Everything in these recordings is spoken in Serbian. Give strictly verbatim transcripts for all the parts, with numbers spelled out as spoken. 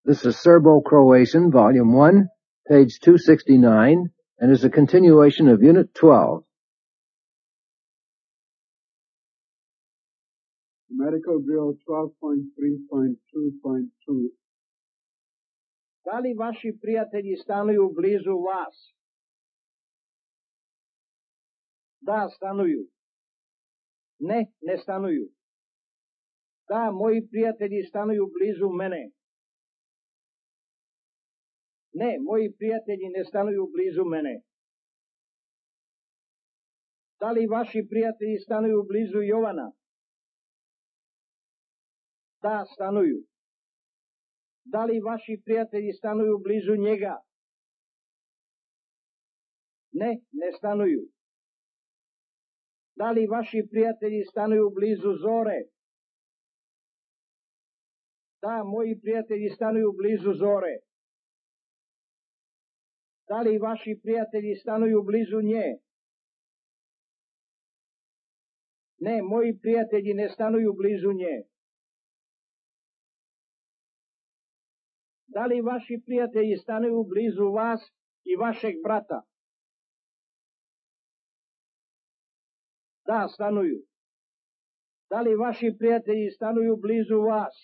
This is Serbo-Croatian, Volume one, page two sixty-nine, and is a continuation of Unit twelve. Medical Drill twelve point three point two point two. Da li vaši prijatelji stanuju blizu vas? Da, stanuju. Ne, ne stanuju. Da, moji prijatelji stanuju blizu mene. Ne, moji prijatelji ne stanuju blizu mene. Da li vaši prijatelji stanuju blizu Jovana? Da, stanuju. Da li vaši prijatelji stanuju blizu njega? Ne, ne stanuju. Da li vaši prijatelji stanuju blizu Zore? Da, moji prijatelji stanuju blizu Zore. Da li vaši prijatelji stanuju blizu nje? Ne, moji prijatelji ne stanuju blizu nje. Da li vaši prijatelji stanuju blizu vas i vašeg brata? Da, stanuju. Da li vaši prijatelji stanuju blizu vas?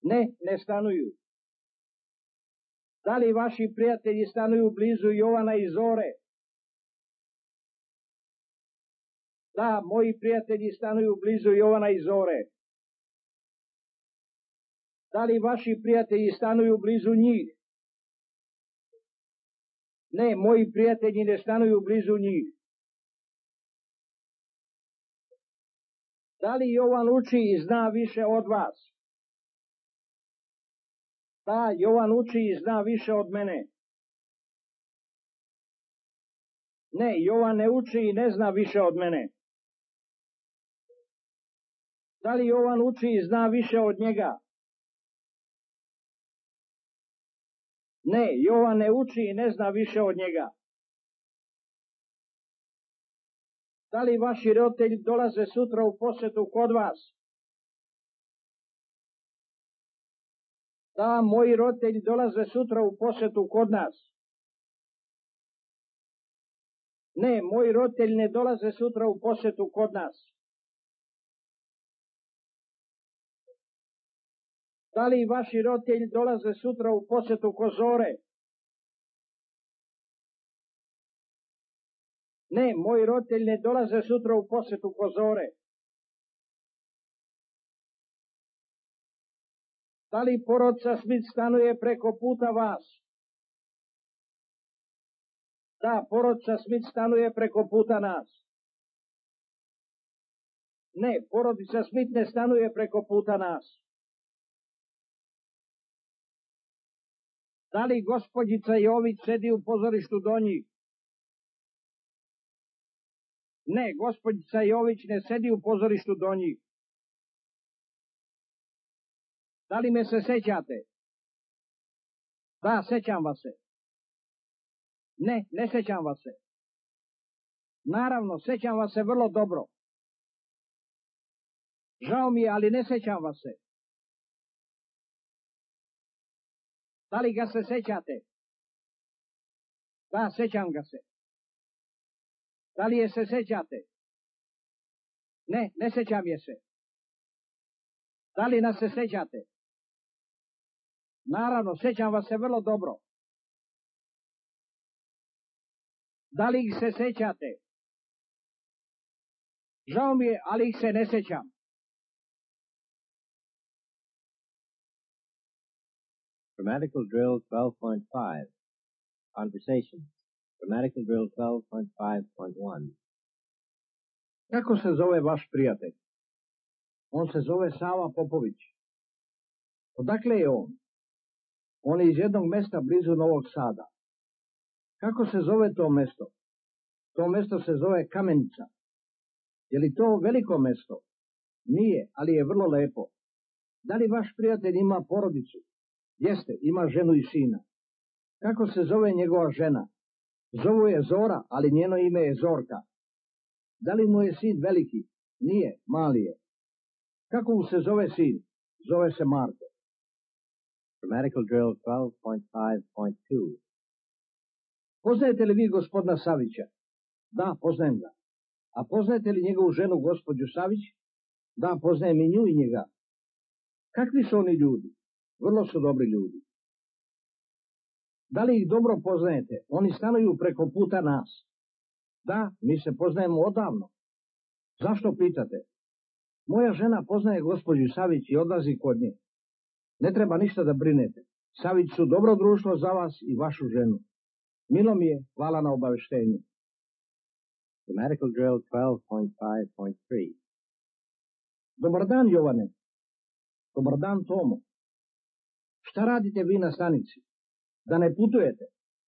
Ne, ne stanuju. Da li vaši prijatelji stanuju blizu Jovana i Zore? Da, moji prijatelji stanuju blizu Jovana i Zore. Da li vaši prijatelji stanuju blizu njih? Ne, moji prijatelji ne stanuju blizu njih. Da li Jovan uči i zna više od vas? Da, Jovan uči i zna više od mene. Ne, Jovan ne uči i ne zna više od mene. Da li Jovan uči i zna više od njega? Ne, Jovan ne uči i ne zna više od njega. Da li vaši roditelji dolaze sutra u posetu kod vas? Da, moji roditelji dolaze sutra u posetu kod nas. Ne, moji roditelji ne dolaze sutra u posetu kod nas. Da li vaši roditelji dolaze sutra u posetu kod Zore? Ne, moji roditelji ne dolaze sutra u posetu kod Zore. Da li porodica Smith stanuje preko puta vas? Da, porodica Smith stanuje preko puta nas. Ne, porodica Smith ne stanuje preko puta nas. Da li gospođica Jović sedi u pozorištu do njih? Ne, gospođica Jović ne sedi u pozorištu do njih. Da li me se sećate? Da, sećam vas se. Ne, ne sećam vas se. Naravno, sećam vas se vrlo dobro. Žao mi je, ali ne sećam vas se. Da li ga se sećate? Da, sećam ga se. Da li je se sećate? Ne, ne sećam je se. Da li nas se sećate? Naravno, sećam vas se vrlo dobro. Da li ih se sećate? Žao mi je, ali ih se ne sećam. Grammatical Drill twelve point five. Conversations. Grammatical Drill twelve point five point one. Kako se zove vaš prijatelj? On se zove Sava Popović. Odakle je on? On je iz jednog mesta blizu Novog Sada. Kako se zove to mesto? To mesto se zove Kamenica. Je li to veliko mesto? Nije, ali je vrlo lepo. Da li vaš prijatelj ima porodicu? Jeste, ima ženu i sina. Kako se zove njegova žena? Zovu je Zora, ali njeno ime je Zorka. Da li mu je sin veliki? Nije, mali je. Kako mu se zove sin? Zove se Marko. Grammatical drill twelve point five point two. Poznajete li vi gospodina Savića? Da, poznajem ga. A poznajete li njegovu ženu, gospođu Savić? Da, poznajem i nju i njega. Kakvi su oni ljudi? Vrlo su dobri ljudi. Da li ih dobro poznajete? Oni stanuju preko puta nas. Da, mi se poznajemo odavno. Zašto pitate? Moja žena poznaje gospođu Savić i odlazi kod nje. Ne treba ništa da brinete. Savić su dobro društvo za vas i vašu ženu. Milo mi je, hvala na obaveštenju. Grammatical drill twelve point five point three. Dobar dan, Jovane. Dobar dan, Tomo. Šta radite vi na stanici? Da ne putujete?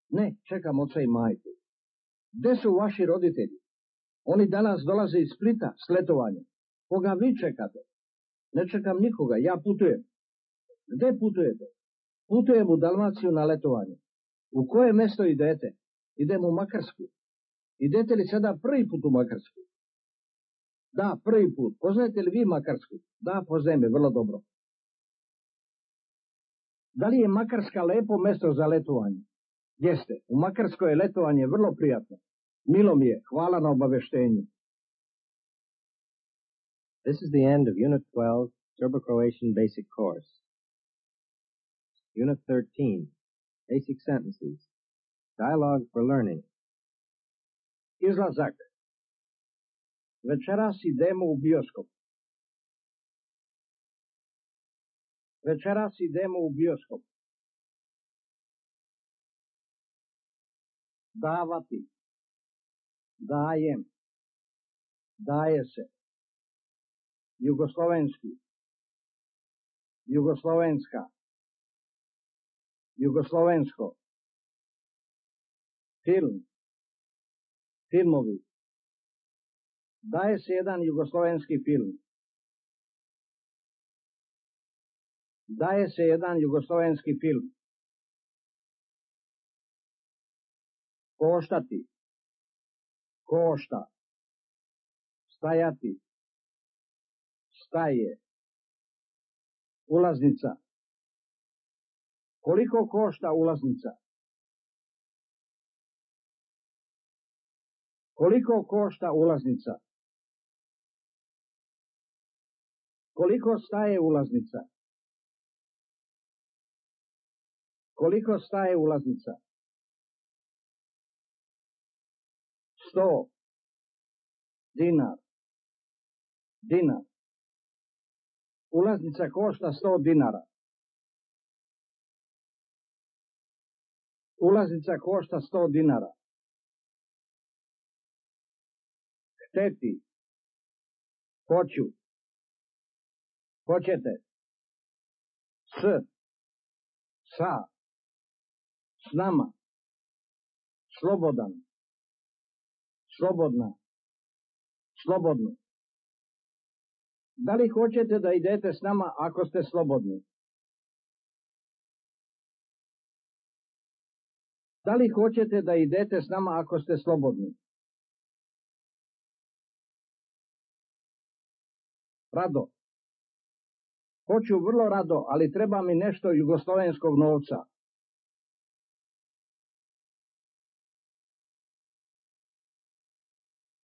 Ne, čekam oca i majku. Gde su vaši roditelji? Oni danas dolaze iz Splita s letovanja. Koga vi čekate? Ne čekam nikoga, ja putujem. Gde putujete? Putujem u Dalmaciju na letovanje. U koje mesto idete? Idem u Makarsku. Idete li sada prvi put u Makarsku? Da, prvi put. Poznajete li vi Makarsku? Da, poznajem je vrlo dobro. Da li je Makarska lepo mesto za letovanje? Jeste, u Makarskoj je letovanje vrlo prijatno. Milo mi je, hvala na obaveštenju. This is the end of Unit twelve, Serbo-Croatian Basic Course. Unit thirteen, Basic Sentences. Dialogue for Learning. Izlazak. Večeras idemo u bioskop. Večeras idemo u bioskop. Davati. Dajem. Daje se. Jugoslovenski. Jugoslovenska. Jugoslovensko. Film. Filmovi. Daje se jedan jugoslovenski film. Daje se jedan jugoslovenski film. Koštati. Košta. Stajati. Staje. Ulaznica. Koliko košta ulaznica? Koliko košta ulaznica? Koliko staje ulaznica? Koliko staje ulaznica? Sto. Dinar. Dinar. Ulaznica košta sto dinara. Ulaznica košta sto dinara. Hteti. Hoću. Hoćete. S. Sa. S nama. Slobodan. Slobodna. Slobodno. Da li hoćete da idete s nama ako ste slobodni? Da li hoćete da idete s nama ako ste slobodni? Rado. Hoću vrlo rado, ali treba mi nešto jugoslovenskog novca.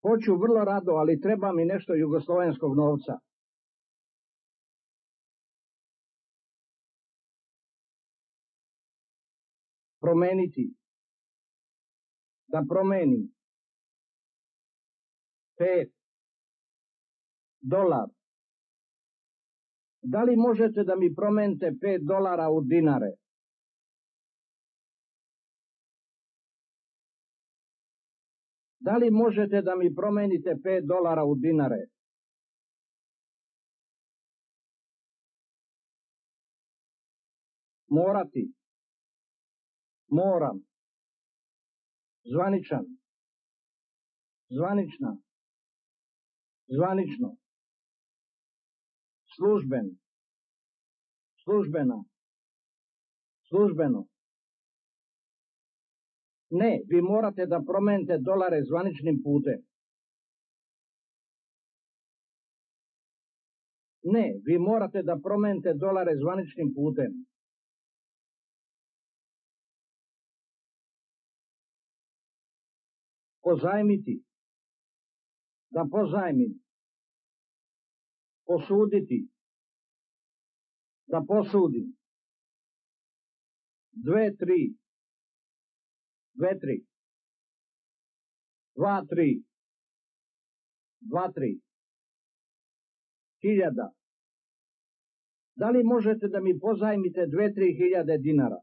Hoću vrlo rado, ali treba mi nešto jugoslovenskog novca. Promeniti. Da promenim. Pet. Dolar. Da li možete da mi promenite pet dolara u dinare? Da li možete da mi promenite pet dolara u dinare? Morati. Moram. Zvaničan. Zvanična. Zvanično. Služben. Službena. Službeno. Ne, vi morate da promenite dolare zvaničnim putem. Ne, vi morate da promenite dolare zvaničnim putem. pozajmiti, da pozajmim, posuditi, da posudim, dve, tri, dve, tri, dva, tri, dva, tri, hiljada. Da li možete da mi pozajmite dve, tri hiljade dinara?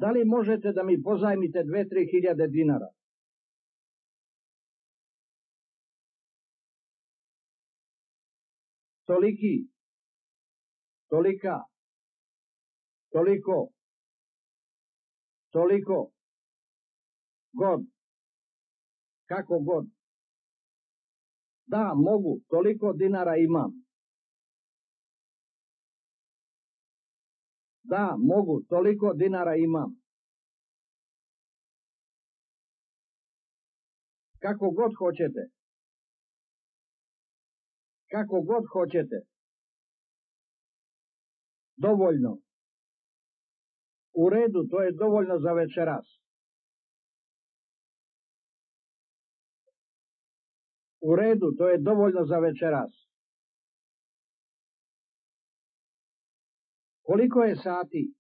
Da li možete da mi pozajmite dve, tri hiljade dinara? Toliki, tolika, toliko, toliko, god, kako god. Da, mogu, toliko dinara imam. Da, mogu, toliko dinara imam. Kako god hoćete. Kako god hoćete. Dovoljno. U redu, to je dovoljno za večeras. U redu, to je dovoljno za večeras. Koliko je sati?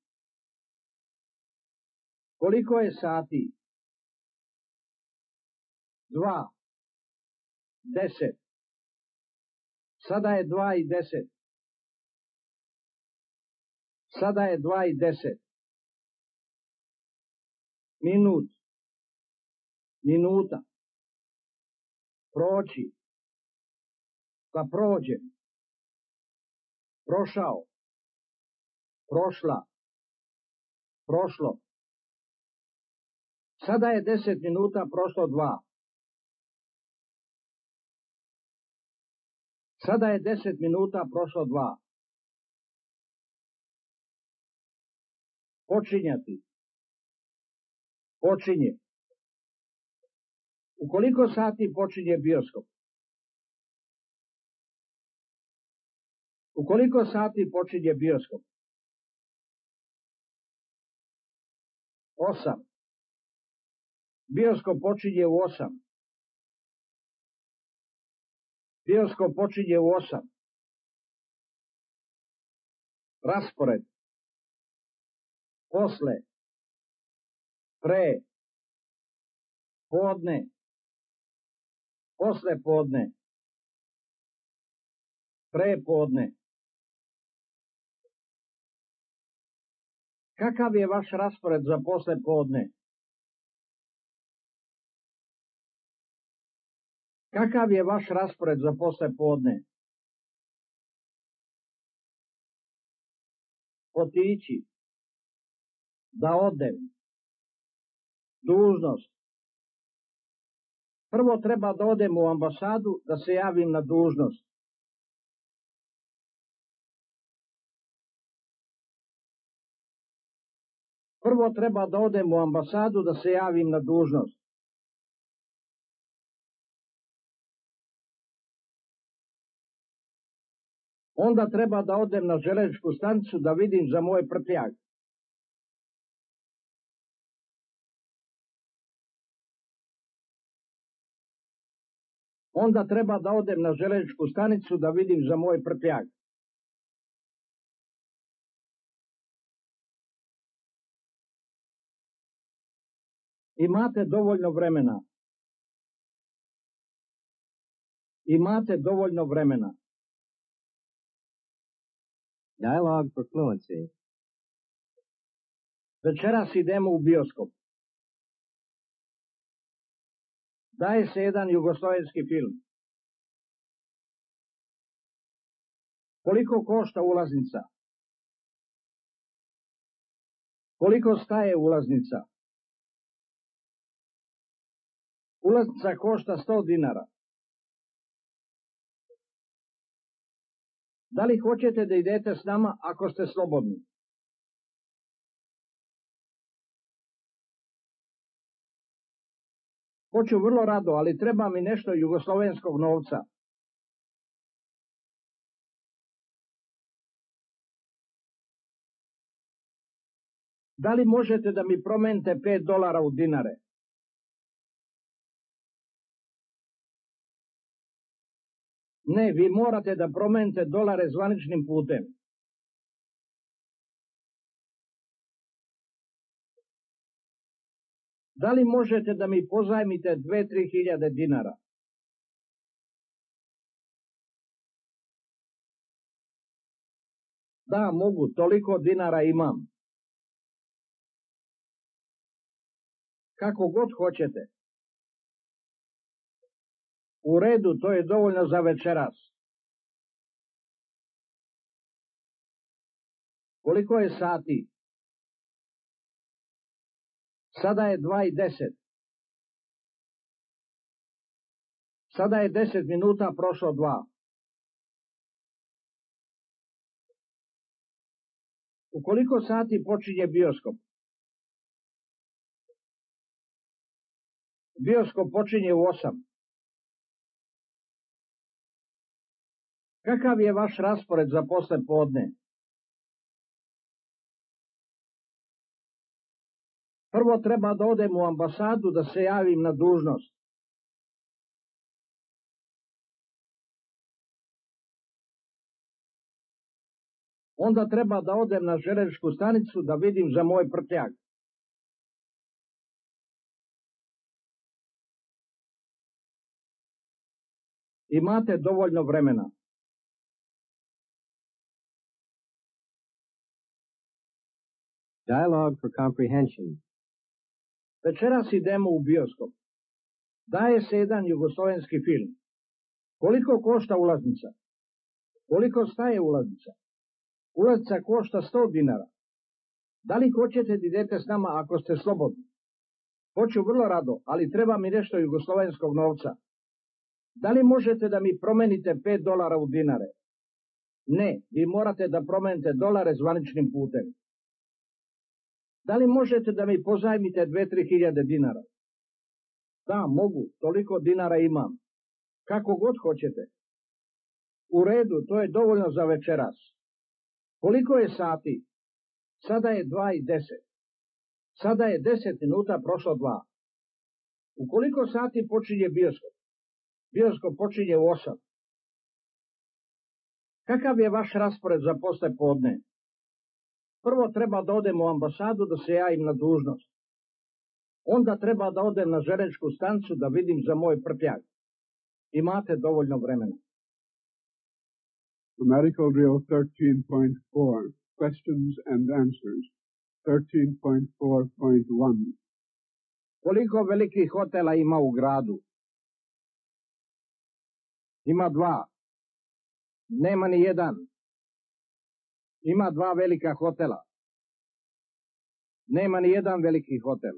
Koliko je sati? Dva. Deset. Sada je dva i deset. Sada je dva i deset. Minut. Minuta. Proći. Da prođem. Prošao. Prošla. Prošlo. Sada je deset minuta, prošlo dva. Sada je deset minuta, prošlo dva. Počinjati. Počinje. U koliko sati počinje bioskop? U koliko sati počinje bioskop? Osam. Bioskop počinje u osam. Bioskop počinje u osam. Raspored. Posle. Pre. Podne. Posle podne. Pre podne. Kakav je vaš raspored za posle podne? Kakav je vaš raspored za posle podne? Otići. Da odem. Dužnost. Prvo treba da odem u ambasadu da se javim na dužnost. Prvo treba da odem u ambasadu da se javim na dužnost. Onda treba da odem na železničku stanicu da vidim za moj prtljag. Onda treba da odem na železničku stanicu da vidim za moj prtljag. Imate dovoljno vremena. Imate dovoljno vremena. Dialogue for fluency. Večeras idemo u bioskop. Daje se jedan jugoslovenski film. Koliko košta ulaznica? Koliko staje ulaznica? Ulaznica košta sto dinara. Da li hoćete da idete s nama ako ste slobodni? Hoću vrlo rado, ali treba mi nešto jugoslovenskog novca. Da li možete da mi promenite pet dolara u dinare? Ne, vi morate da promenite dolare zvaničnim putem. Da li možete da mi pozajmite dve, tri hiljade dinara? Da, mogu, toliko dinara imam. Kako god hoćete. U redu, to je dovoljno za večeras. Koliko je sati? Sada je dva i deset. Sada je deset minuta prošlo dva. U koliko sati počinje bioskop? Bioskop počinje u osam. Kakav je vaš raspored za posle podne? Prvo treba da odem u ambasadu da se javim na dužnost. Onda treba da odem na železničku stanicu da vidim za moj prtljag. Imate dovoljno vremena. Dialogue for comprehension. Večeras idemo u bioskop. Daje se jedan jugoslovenski film. Koliko košta ulaznica? Koliko staje ulaznica? Ulaznica košta sto dinara. Da li hoćete da idete s nama ako ste slobodni? Hoću vrlo rado, ali treba mi nešto jugoslovenskog novca. Da li možete da mi promenite pet dolara u dinare? Ne, vi morate da promenite dolare zvaničnim putem. Da li možete da mi pozajmite dve, tri hiljade dinara? Da, mogu, toliko dinara imam. Kako god hoćete. U redu, to je dovoljno za večeras. Koliko je sati? Sada je dva i deset. Sada je deset minuta prošlo dva. U koliko sati počinje bioskop? Bioskop počinje u osam. Kakav je vaš raspored za posle podne? Prvo treba da odem u ambasadu da se javim na dužnost. Onda treba da odem na železničku stanicu da vidim za moj prtljag. Imate dovoljno vremena. Grammatical drill thirteen point four. Questions and answers. thirteen point four point one. Koliko velikih hotela ima u gradu? Ima dva. Nema ni jedan. Ima dva velika hotela. Nema ni jedan veliki hotel.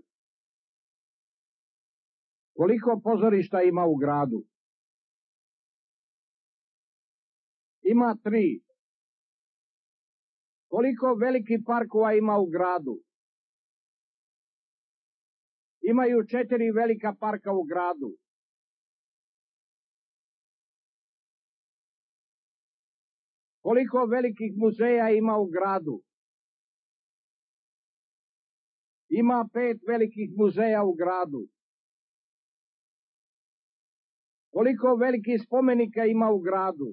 Koliko pozorišta ima u gradu? Ima tri. Koliko velikih parkova ima u gradu? Imaju četiri velika parka u gradu. Koliko velikih muzeja ima u gradu? Ima pet velikih muzeja u gradu. Koliko velikih spomenika ima u gradu?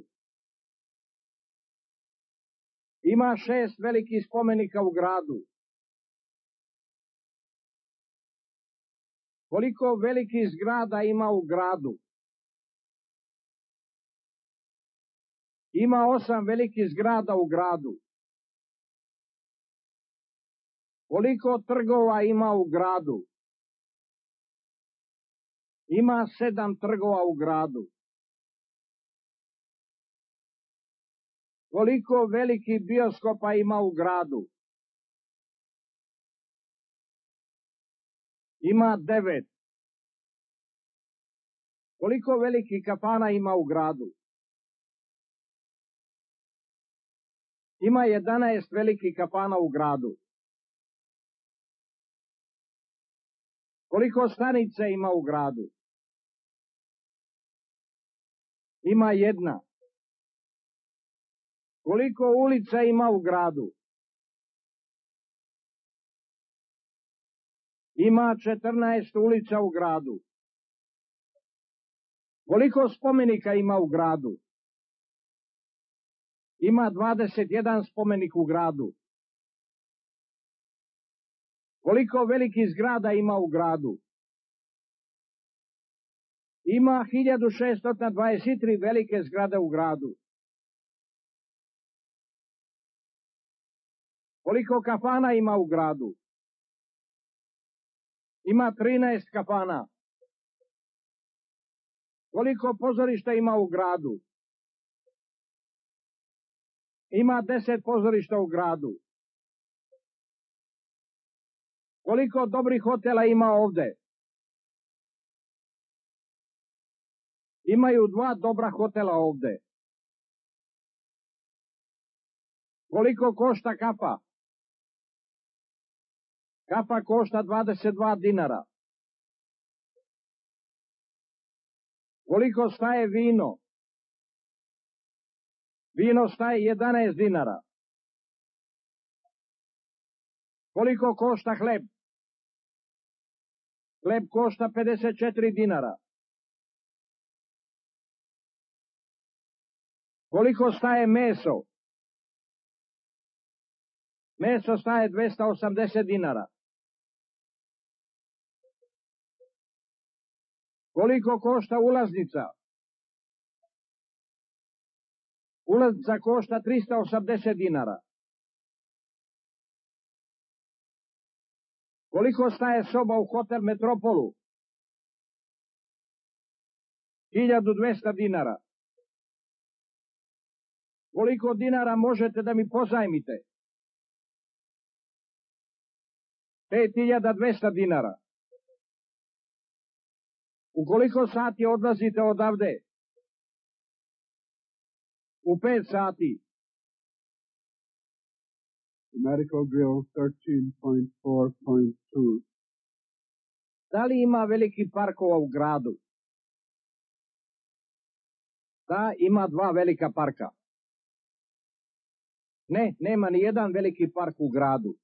Ima šest velikih spomenika u gradu. Koliko velikih zgrada ima u gradu? Ima osam velikih zgrada u gradu. Koliko trgova ima u gradu? Ima sedam trgova u gradu. Koliko velikih bioskopa ima u gradu? Ima devet. Koliko velikih kafana ima u gradu? Ima jedanaest velikih kafana u gradu. Koliko stanica ima u gradu? Ima jedna. Koliko ulica ima u gradu? Ima četrnaest ulica u gradu. Koliko spomenika ima u gradu? Ima dvadeset jedan spomenik u gradu. Koliko velikih zgrada ima u gradu? Ima hiljadu šeststo dvadeset tri velike zgrade u gradu. Koliko kafana ima u gradu? Ima trinaest kafana. Koliko pozorišta ima u gradu? Ima deset pozorišta u gradu. Koliko dobrih hotela ima ovde? Imaju dva dobra hotela ovde. Koliko košta kafa? Kafa košta dvadeset dva dinara. Koliko staje vino? Vino staje jedanaest dinara. Koliko košta hleb? Hleb košta pedeset četiri dinara. Koliko staje meso? Meso staje dvesta osamdeset dinara. Koliko košta ulaznica? Ulaznica košta trista osamdeset dinara. Koliko staje soba u hotel Metropolu? hiljadu dvesta dinara. Koliko dinara možete da mi pozajmite? pet hiljada dvesta dinara. U koliko sati odlazite odavde? U pet sati. Medical drill thirteen point four point two. Da li ima veliki parkova u gradu? Da, ima dva velika parka. Ne, nema ni jedan veliki park u gradu.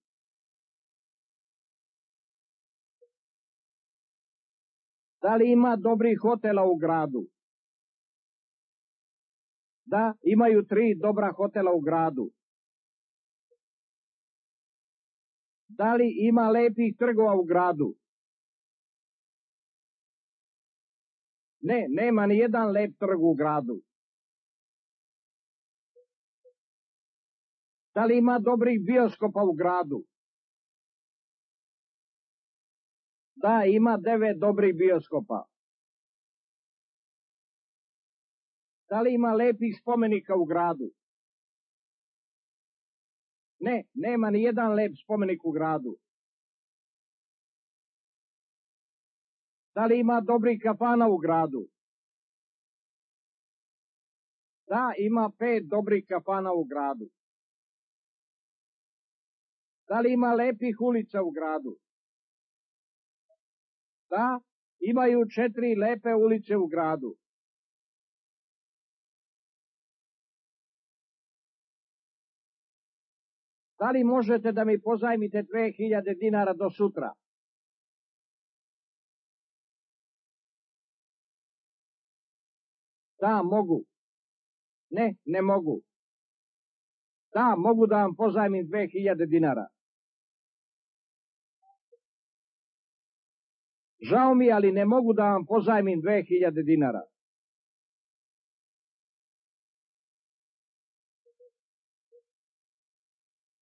Da li ima dobrih hotela u gradu? Da, imaju tri dobra hotela u gradu. Da li ima lepih trgova u gradu? Ne, nema ni jedan lep trg u gradu. Da li ima dobrih bioskopa u gradu? Da, ima devet dobrih bioskopa. Da li ima lepih spomenika u gradu? Ne, nema ni jedan lep spomenik u gradu. Da li ima dobrih kafana u gradu? Da, ima pet dobrih kafana u gradu. Da li ima lepih ulica u gradu? Da, imaju četiri lepe ulice u gradu. Da li možete da mi pozajmite dve hiljade dinara do sutra? Da, mogu. Ne, ne mogu. Da, mogu da vam pozajmim dve hiljade dinara. Žao mi, ali ne mogu da vam pozajmim dve hiljade dinara.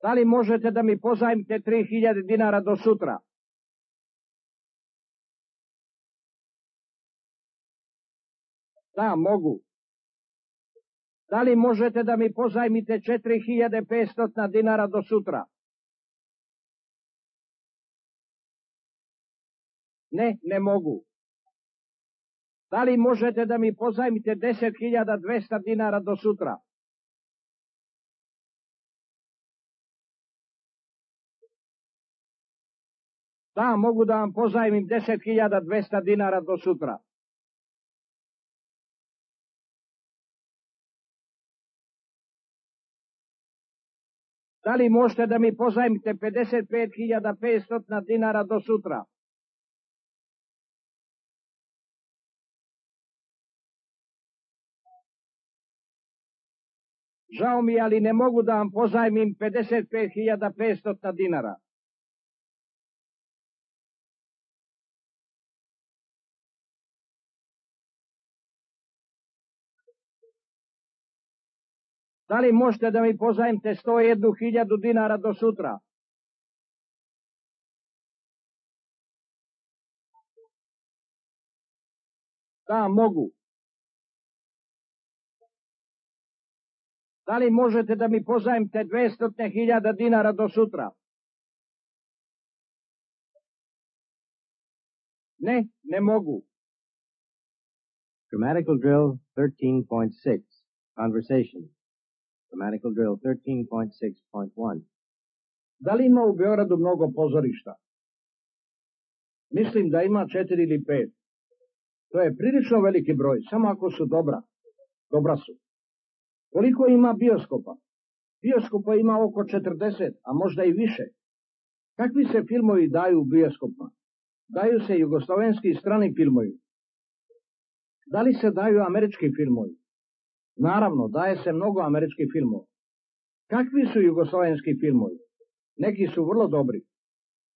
Da li možete da mi pozajmite tri hiljade dinara do sutra? Da, mogu. Da li možete da mi pozajmite četiri hiljade petsto dinara do sutra? Ne, ne mogu. Da li možete da mi pozajmite deset hiljada dvesta dinara do sutra? Da, mogu da vam pozajmim deset hiljada dvesta dinara do sutra. Da li možete da mi pozajmite pedeset pet hiljada petsto dinara do sutra? Žao mi je, ali ne mogu da vam pozajmim pedeset pet hiljada petsto dinara. Da li možete da mi pozajmite sto jednu hiljadu dinara do sutra? Da, mogu. Da li možete da mi pozajmite dvesta hiljada dinara do sutra? Ne, ne mogu. Grammatical drill thirteen point six. Conversation. Grammatical drill thirteen point six point one. Da li ima u Beogradu mnogo pozorišta? Mislim da ima četiri ili pet. To je prilično veliki broj, samo ako su dobra. Dobra su. Koliko ima bioskopa? Bioskopa ima oko četrdeset, a možda i više. Kakvi se filmovi daju u bioskopima? Daju se jugoslovenski i strani filmovi. Da li se daju američki filmovi? Naravno, daje se mnogo američkih filmova. Kakvi su jugoslovenski filmovi? Neki su vrlo dobri.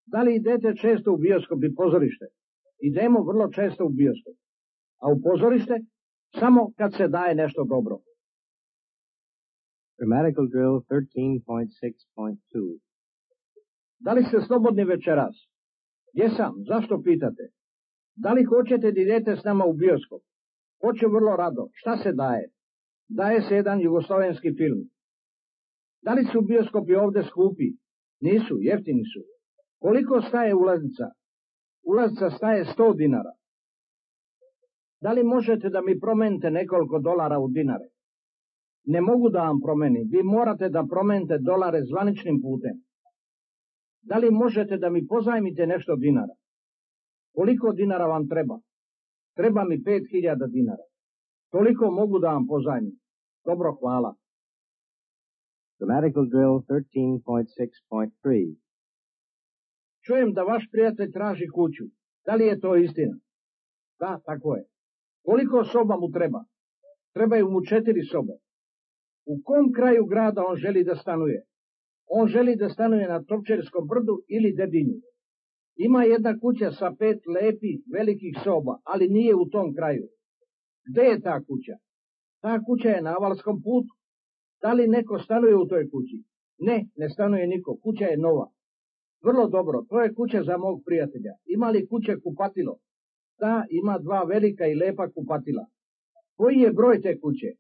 Da li idete često u bioskop i pozorište? Idemo vrlo često u bioskop. A u pozorište? Samo kad se daje nešto dobro. Grammatical drill thirteen point six point two. Da li ste slobodni večeras? Jesam, zašto pitate? Da li hoćete da idete s nama u bioskop? Hoću vrlo rado. Šta se daje? Daje se jedan jugoslovenski film. Da li su bioskopi ovde skupi? Nisu, jeftini su. Koliko staje ulaznica? Ulaznica staje sto dinara. Da li možete da mi promenite nekoliko dolara u dinare? Ne mogu da vam promenim. Vi morate da promenite dolare zvaničnim putem. Da li možete da mi pozajmite nešto dinara? Koliko dinara vam treba? Treba mi pet hiljada dinara. Toliko mogu da vam pozajmim. Dobro, hvala. Grammatical drill thirteen point six point three. Čujem da vaš prijatelj traži kuću. Da li je to istina? Da, tako je. Koliko soba mu treba? Trebaju mu četiri sobe. U kom kraju grada on želi da stanuje? On želi da stanuje na Topčerskom brdu ili Dedinju. Ima jedna kuća sa pet lepih, velikih soba, ali nije u tom kraju. Gde je ta kuća? Ta kuća je na Avalskom putu. Da li neko stanuje u toj kući? Ne, ne stanuje niko. Kuća je nova. Vrlo dobro, to je kuća za mog prijatelja. Ima li kuće kupatilo? Da, ima dva velika i lepa kupatila. Koji je broj te kuće?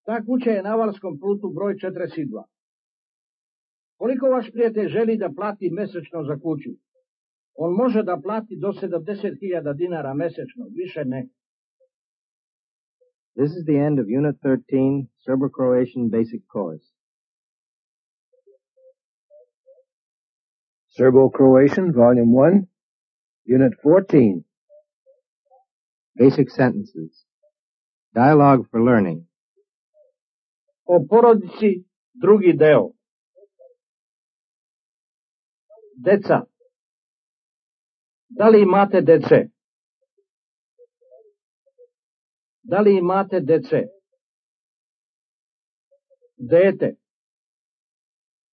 Ta kuća je na Avalskom putu broj četrdeset dva. Koliko vaš prijatelj želi da plati mesečno za kuću? On može da plati do sedamdeset hiljada dinara mesečno, više ne. This is the end of Unit thirteen, Serbo-Croatian Basic Course. Serbo-Croatian, Volume one, Unit fourteen. Basic Sentences. Dialogue for Learning. O porodici, drugi deo. Deca. Da li imate dece? Da li imate dece? Dete.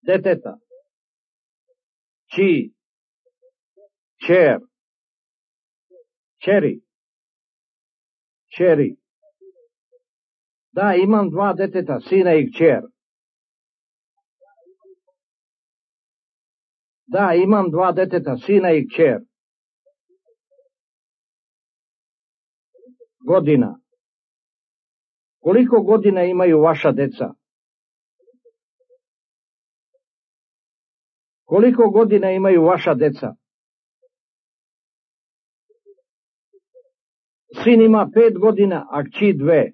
Deteta. Či. Čer. Čeri. Čeri. Da, imam dva deteta, sina i kćer. Da, imam dva deteta, sina i kćer. Godina. Koliko godina imaju vaša deca? Koliko godina imaju vaša deca? Sin ima pet godina, a kći dve.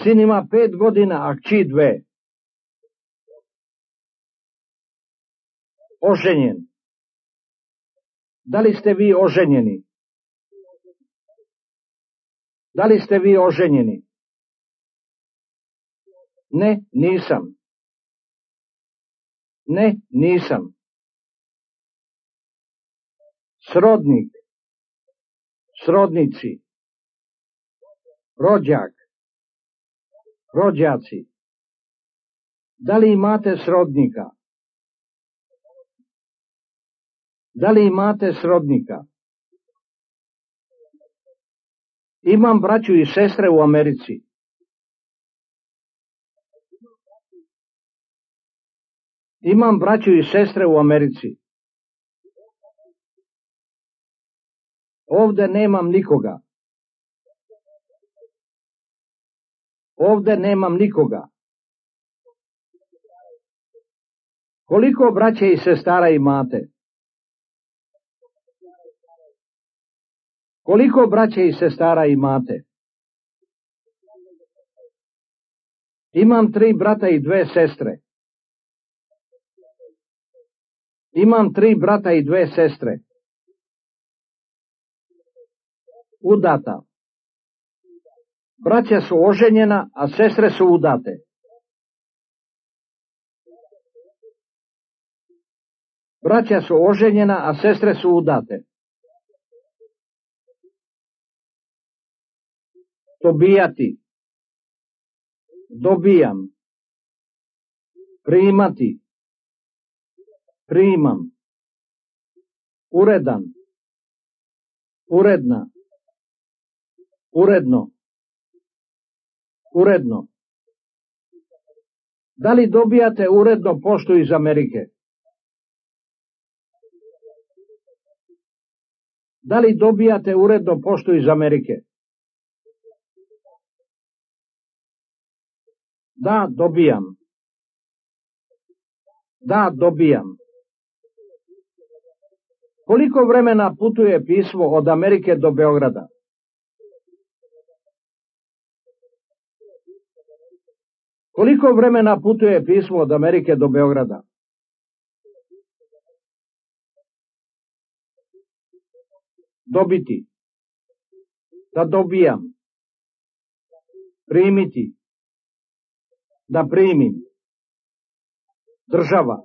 Sin ima pet godina, a kći dve. Oženjen. Da li ste vi oženjeni? Da li ste vi oženjeni? Ne, nisam. Ne, nisam. Srodnik. Srodnici. rođak, rođaci. Da li imate srodnika? Da li imate srodnika? Imam braću i sestre u Americi. Imam braću i sestre u Americi. Ovde nemam nikoga. Ovde nemam nikoga. Koliko braće i sestara imate? Koliko braće i sestara imate? Imam tri brata i dve sestre. Imam tri brata i dve sestre. Udata. Braća su oženjena, a sestre su udate. Braća su oženjena, a sestre su udate. Dobijati. Dobijam. Primati. Primam. Uredan. Uredna. Uredno. Uredno. Da li dobijate uredno poštu iz Amerike? Da li dobijate uredno poštu iz Amerike? Da, dobijam. Da, dobijam. Koliko vremena putuje pismo od Amerike do Beograda? Koliko vremena putuje pismo od Amerike do Beograda? Dobiti. Da dobijam. Primiti. Da primim. Država.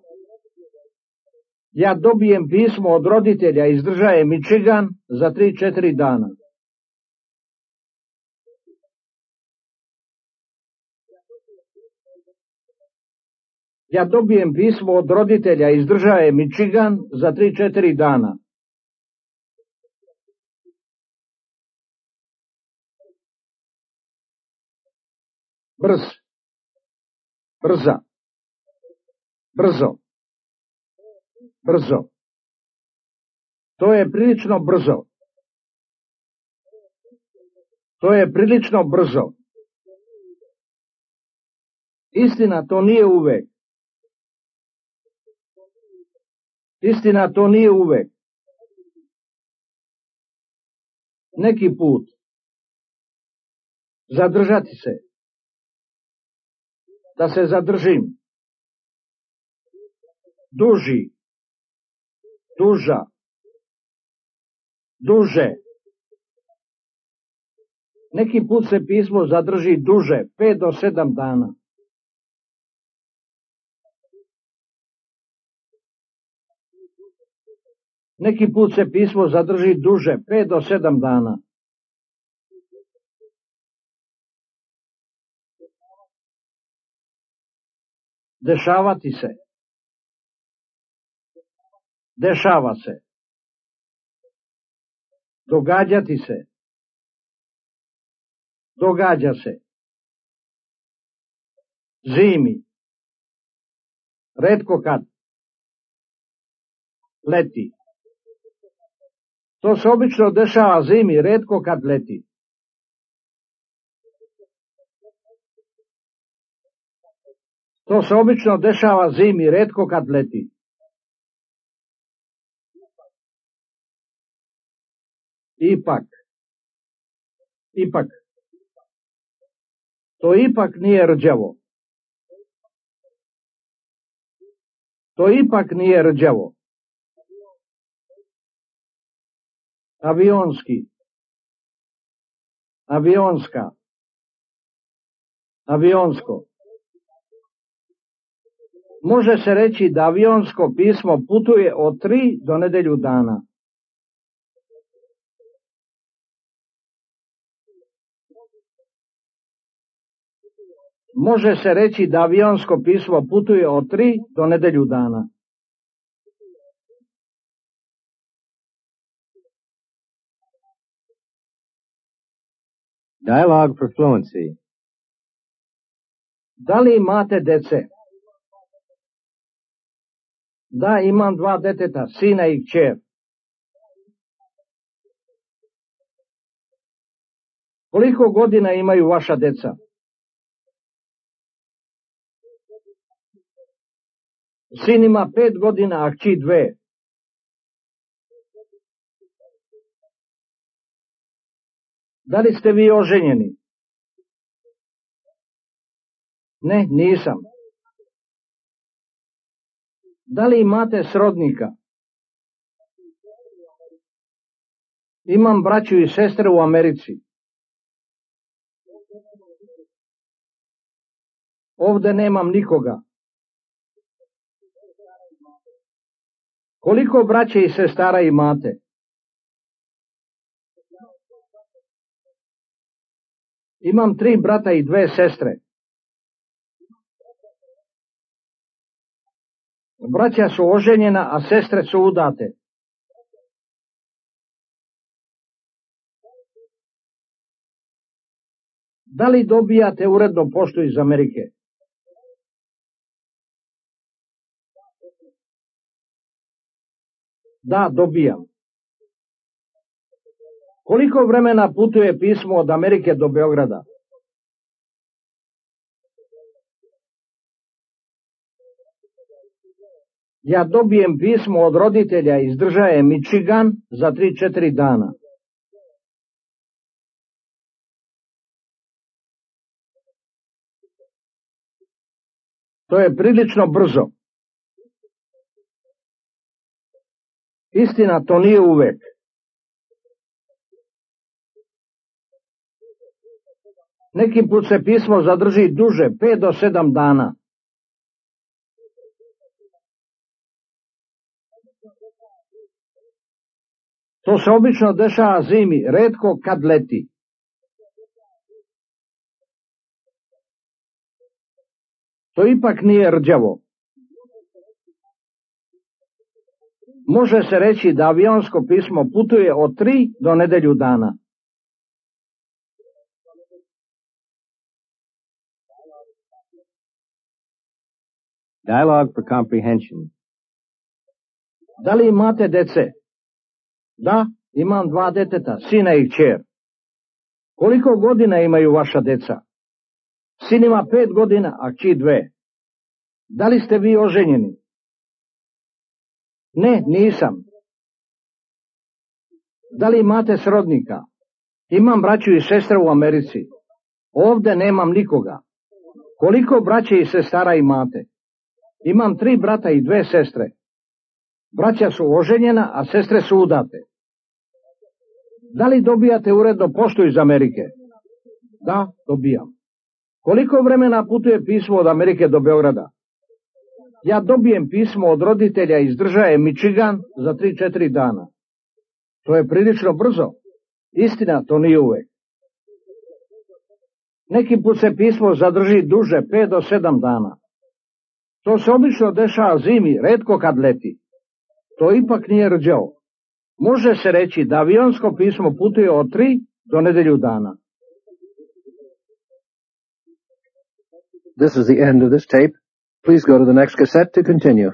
Ja dobijem pismo od roditelja iz države Michigan za tri četiri dana. Ja dobijem pismo od roditelja iz države Michigan za tri četiri dana. Brz. Brza. Brzo. Brzo. To je prilično brzo. To je prilično brzo. Istina, to nije uvek. Istina, to nije uvek. Neki put. Zadržati se. Da se zadržim. Duži. Duža. Duže. Neki put se pismo zadrži duže, pet do sedam dana. Neki put se pismo zadrži duže, pet do sedam dana. Dešavati se. Dešava se. Događati se. Događa se. Zimi. Retko kad. Leti. To se obično dešava zimi, retko kad leti. To se obično dešava zimi, retko kad leti. Ipak. Ipak. To ipak nije rđavo. To ipak nije rđavo. Avionski. Avionska. Avionsko. Može se reći da avionsko pismo putuje od tri do nedelju dana. Može se reći da avionsko pismo putuje od tri do nedelju dana. Dialogue for fluency. Da li imate dece? Da, imam dva deteta, sina i kćer. Koliko godina imaju vaša deca? Sin ima pet godina, a kći dve. Da li ste vi oženjeni? Ne, nisam. Da li imate srodnika? Imam braću i sestre u Americi. Ovde nemam nikoga. Koliko braće i sestara imate? Imam tri brata i dve sestre. Braća su oženjena, a sestre su udate. Da li dobijate uredno poštu iz Amerike? Da, dobijam. Koliko vremena putuje pismo od Amerike do Beograda? Ja dobijem pismo od roditelja iz države Michigan za tri četiri dana. To je prilično brzo. Istina, to nije uvek. Neki put se pismo zadrži duže, pet do sedam dana. To se obično dešava zimi, retko kad leti. To ipak nije rđavo. Može se reći da avionsko pismo putuje od tri do nedelju dana. Dialogue for comprehension. Da li imate dece? Da, imam dva deteta, sina i kćer. Koliko godina imaju vaša deca? Sin ima pet godina, a kći dve. Da li ste vi oženjeni? Ne, nisam. Da li imate srodnika? Imam braću i sestre u Americi. Ovde nemam nikoga. Koliko braće i sestara imate? Imam tri brata i dve sestre. Braća su oženjena, a sestre su udate. Da li dobijate uredno poštu iz Amerike? Da, dobijam. Koliko vremena putuje pismo od Amerike do Beograda? Ja dobijem pismo od roditelja iz države Michigan za tri četiri dana. To je prilično brzo. Istina, to nije uvek. Neki put se pismo zadrži duže, pet do sedam dana. To se obično dešava zimi, retko kad leti. To ipak nije rđavo. Može se reći da avionsko pismo putuje od tri do nedelju dana. This is the end of this tape. Please go to the next cassette to continue.